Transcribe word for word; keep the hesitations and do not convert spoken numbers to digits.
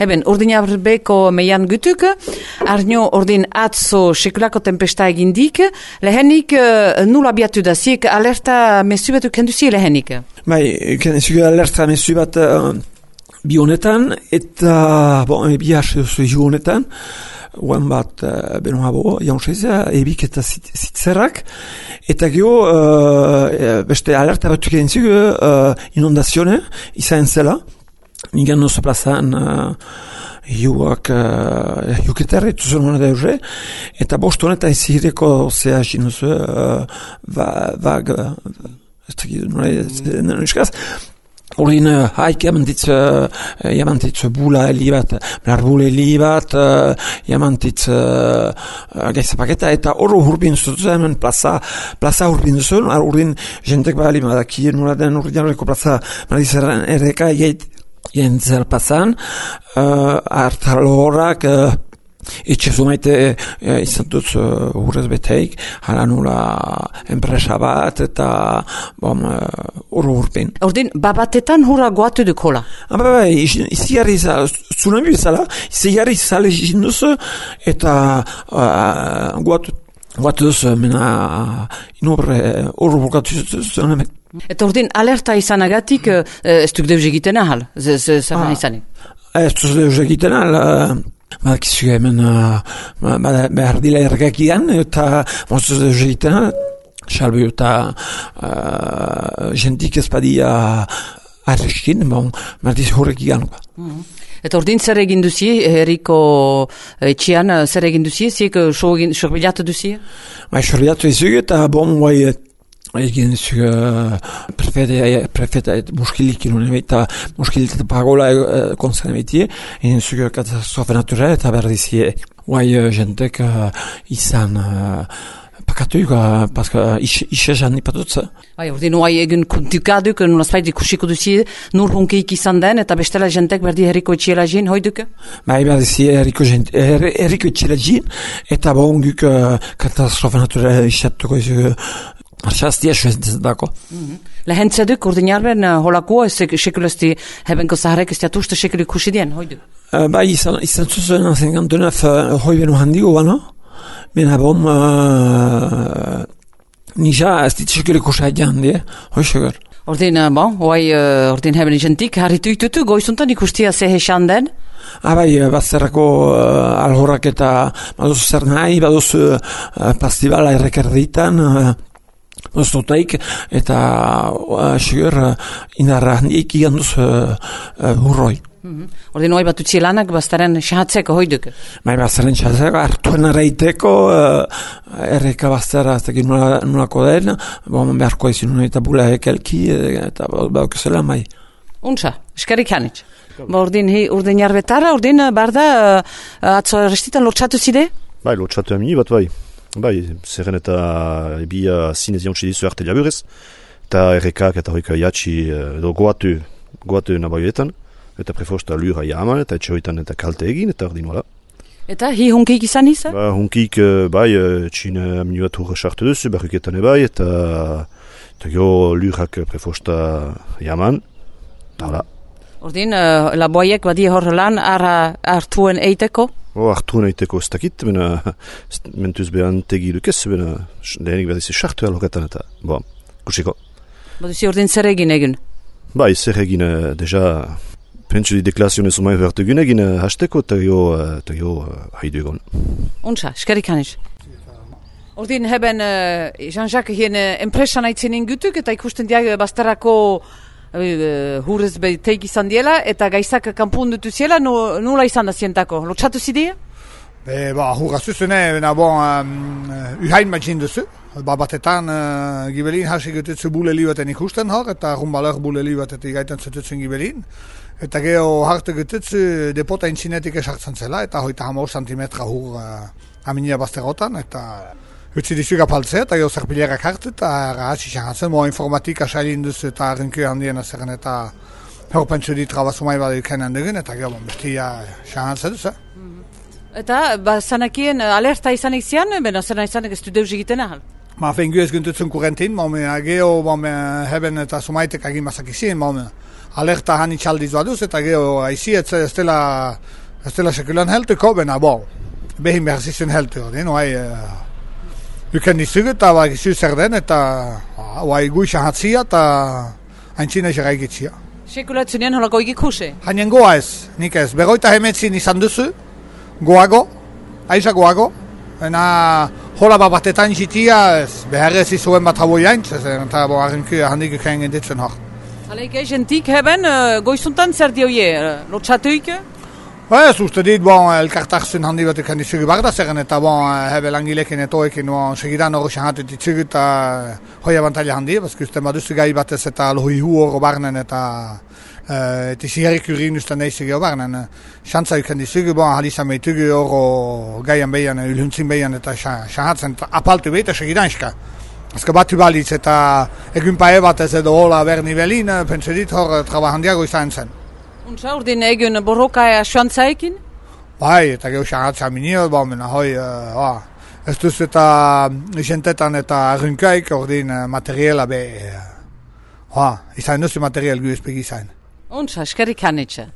Eben, urdinarbeko meian gutuk, arnio urdin atzo sekulako tempesta egindik, lehenik uh, nula biatu da, ziek alerta mesu bat kenduzi lehenik? Bai, kenduzi alerta mesu bat uh, bi honetan, eta bon, bi hasi zu honetan, Oan bat uh, benoabo jaunseza, ebik eta zitzerrak, eta geho uh, beste alerta batuk egin zigu uh, inundazione izan zela, nigan nozo plazan uh, hiuak uh, hiuketerre tuzun hona deuze, eta bost honetan izireko zea jinuzu uh, vag, ez dakit, nola eskaz, Orin haik jamantitz, jamantitz bula heli bat, blarbule heli bat, jamantitz gaizapaketa, eta horro hurbin zuzen, hemen plaza, plaza hurbin zuzen, orin jentek bali madaki, nola den orin jarreko plaza, madizaren erreka jentzel plazan, hartalo horrak, etxe zumaite izan dut urrez beteik, hala nula enpresa bat eta bom, urru urpin. Ordin, babatetan hurra goatu duk hola? Ba, ba, izi jarri zala, tsunami bezala, izi jarri zala izinduz eta goatu goatu duz, mena inorre urru burkatu zuen. Eta ordin, alerta izanagatik ez duk deuz egiten ahal, zerren izanik? Ez duz deuz egiten ahal, Badakizu hemen uh, behar dila ergakian eta mozuz deuz egiten, salbe eta uh, jentik ezpadia arreskin, bon, martiz horrek iganuka. Mm. Eta ordin zer egin duzi, herriko etxian, zer egin duzi, ziek sorbilatu duzi? Bai, sorbilatu ezug eta bon, bai, egin zuk uh, prefeta, prefeta muskilik ilun eta muskilik eta pagola uh, konzern ebetie, egin zuk katastrofe naturale eta berdizie guai uh, jentek uh, izan uh, pakatuik, uh, paska ishe jan nipatutza. Bai, ordin guai egin kontukaduk, nolazpait ikusiko duzi, nur hunkeik izan den, eta bestela jentek berdi herriko etxiela jin, hoiduk? Bai, berdizie herriko, her, herriko etxiela jin, eta bon guk uh, katastrofe naturale isatuko izuk Arxaztia suezen dako. Lehen zeduk, urdinarben holako, sekulesti hebenko zaharek ez jatuste sekuli kusidien, hoidu? Bai, izan zuzen zenkantunef hoi benu handigo bano, bena bom nija ez dit sekuli kusidien die, hoi segur. Ordin, bon, hoi ordin hebben jentik, harritu itutu, goizuntan ikustia zehe xanden? Ah, bai, bazterrako uh, alhorrak eta baduzu zer nahi, baduzu uh, pastibala errekerditan, uh, Oztotaik, eta uh, segur uh, indarra handiek iganduz uh, uh, hurroi. Mm-hmm. Ordin hoi bat utzielanak baztaren xahatzeko hoiduk? Bai, baztaren xahatzeko, hartuen arreiteko, uh, erreka baztera, ez dakit nolako den, bon, beharko ezin eta bula ekelki, eta bauk zela, bai. Untsa, eskarik hanitz. Ba, ordin, hi, urdin jarbetara, ordin, barda, uh, atzo restitan lortxatu zide? Bai, lortxatu amini bat, bai. Bai, zerren eta ebia zinez jauntsi dizu arte laburez, eta errekak eta hoika jatsi edo goatu, goatu nabaioetan, eta prefosta lura jaman, eta etxoetan eta kalte egin, eta ordin wala. Eta hi hunkik izan izan? Ba, hunkik, bai, txine minuat hurra sartu duzu, barruketan ebai, eta eta gero lurak prefosta jaman, eta hala. Ordin, uh, laboiek badi hor lan ara hartuen eiteko? Oh, hartuen eiteko ez dakit, bena mentuz behan tegi dukez, bena lehenik behar dizi sartu aloketan eta, bo, kusiko. Baduzi ordin zer egin egin? Bai, zer egin, deja, pentsu di deklarazionez umai behar egin egin hasteko, eta jo, eta jo, haidu egon. Untsa, eskarik haniz. Ordin heben, uh, Jean-Jacques hien uh, enpresan aitzen ingutuk, eta ikusten diag bazterako Uh, hurrez beteik izan diela, eta gaizak kanpun dutu ziela, no, nula izan da zientako. Lotxatu zidia? Be, ba, hurra zuzune, bena bon, um, uhain matzin duzu. Ba, batetan, uh, gibelin hasi gututzu buleli baten ikusten hor, eta rumbaler buleli baten igaitan zututzen gibelin. Eta geho harte gututzu depota intzinetik esartzen zela, eta hoita hamar santimetra hur uh, aminia bazterotan, eta utzi dizuga paltzea, eta geho zerpilerak hartu, eta hasi xahatzen, moa informatika sailin duzu, eta rinko handien azeren, eta horpentsu dit trabazumai bada ikenan dugun, eta geho bestia xahatzen duzu. Eta, ba, zanakien alerta izanik zian, bena zena izanik ez du deus egiten ahal? Ma, fengu ez guntutzen kurentin, ma, geho, ma, heben eta sumaitek agin mazak izien, ma, alerta hani txaldiz baduz, eta geho aizi ez, ez dela ez dela sekulan heltuko, bena bo, behin behar zizun heltu hori, no, hai, uh, uken dizugu, eta bai gizu zer den, eta bai guixan hatzia, eta haintzina egerai gitzia. Sekulatzunien holako ikikuse? Hainen goa ez, nik ez, begoita hemetzin izan duzu, goago, aiza goago, ena hola bat batetan jitia, ez, behar ez izuen bat habo jaintz, eta bo arrenku handik uken genditzen hor. Haleik jentik heben, uh, goizuntan zer dioie, uh, lotxatuik? Ez uste dit, bon, elkartarzun handi bat ikan dizugu barda zeren, eta bon, hebe langilekin etoekin, bon, segidan hori xahatut ditzugu, eta hoi abantaila handi, bazka uste baduzu gai batez eta lohoi hu hori barnen, eta eta ziherrik urin uste neizig hori barnen. Xantza ikan dizugu, bon, halisa meitugu hori gaian behian, ulhuntzin behian, eta xahatzen, apaltu behit, eta segidan iska. Azka batu balitz, eta egun pae batez edo hola berni belin, pentsu dit hor traba handiago izan zen. Untsa, urdin egun borroka xoantzaikin? Bai, eta geho xahatza minio, ba, mena hoi, uh, ba, ez duz eta isentetan eta arrunkaik, ordin uh, materiela be, uh, ba, izan duzu materiel gu espegi izan. Untsa, eskerik hanitxe.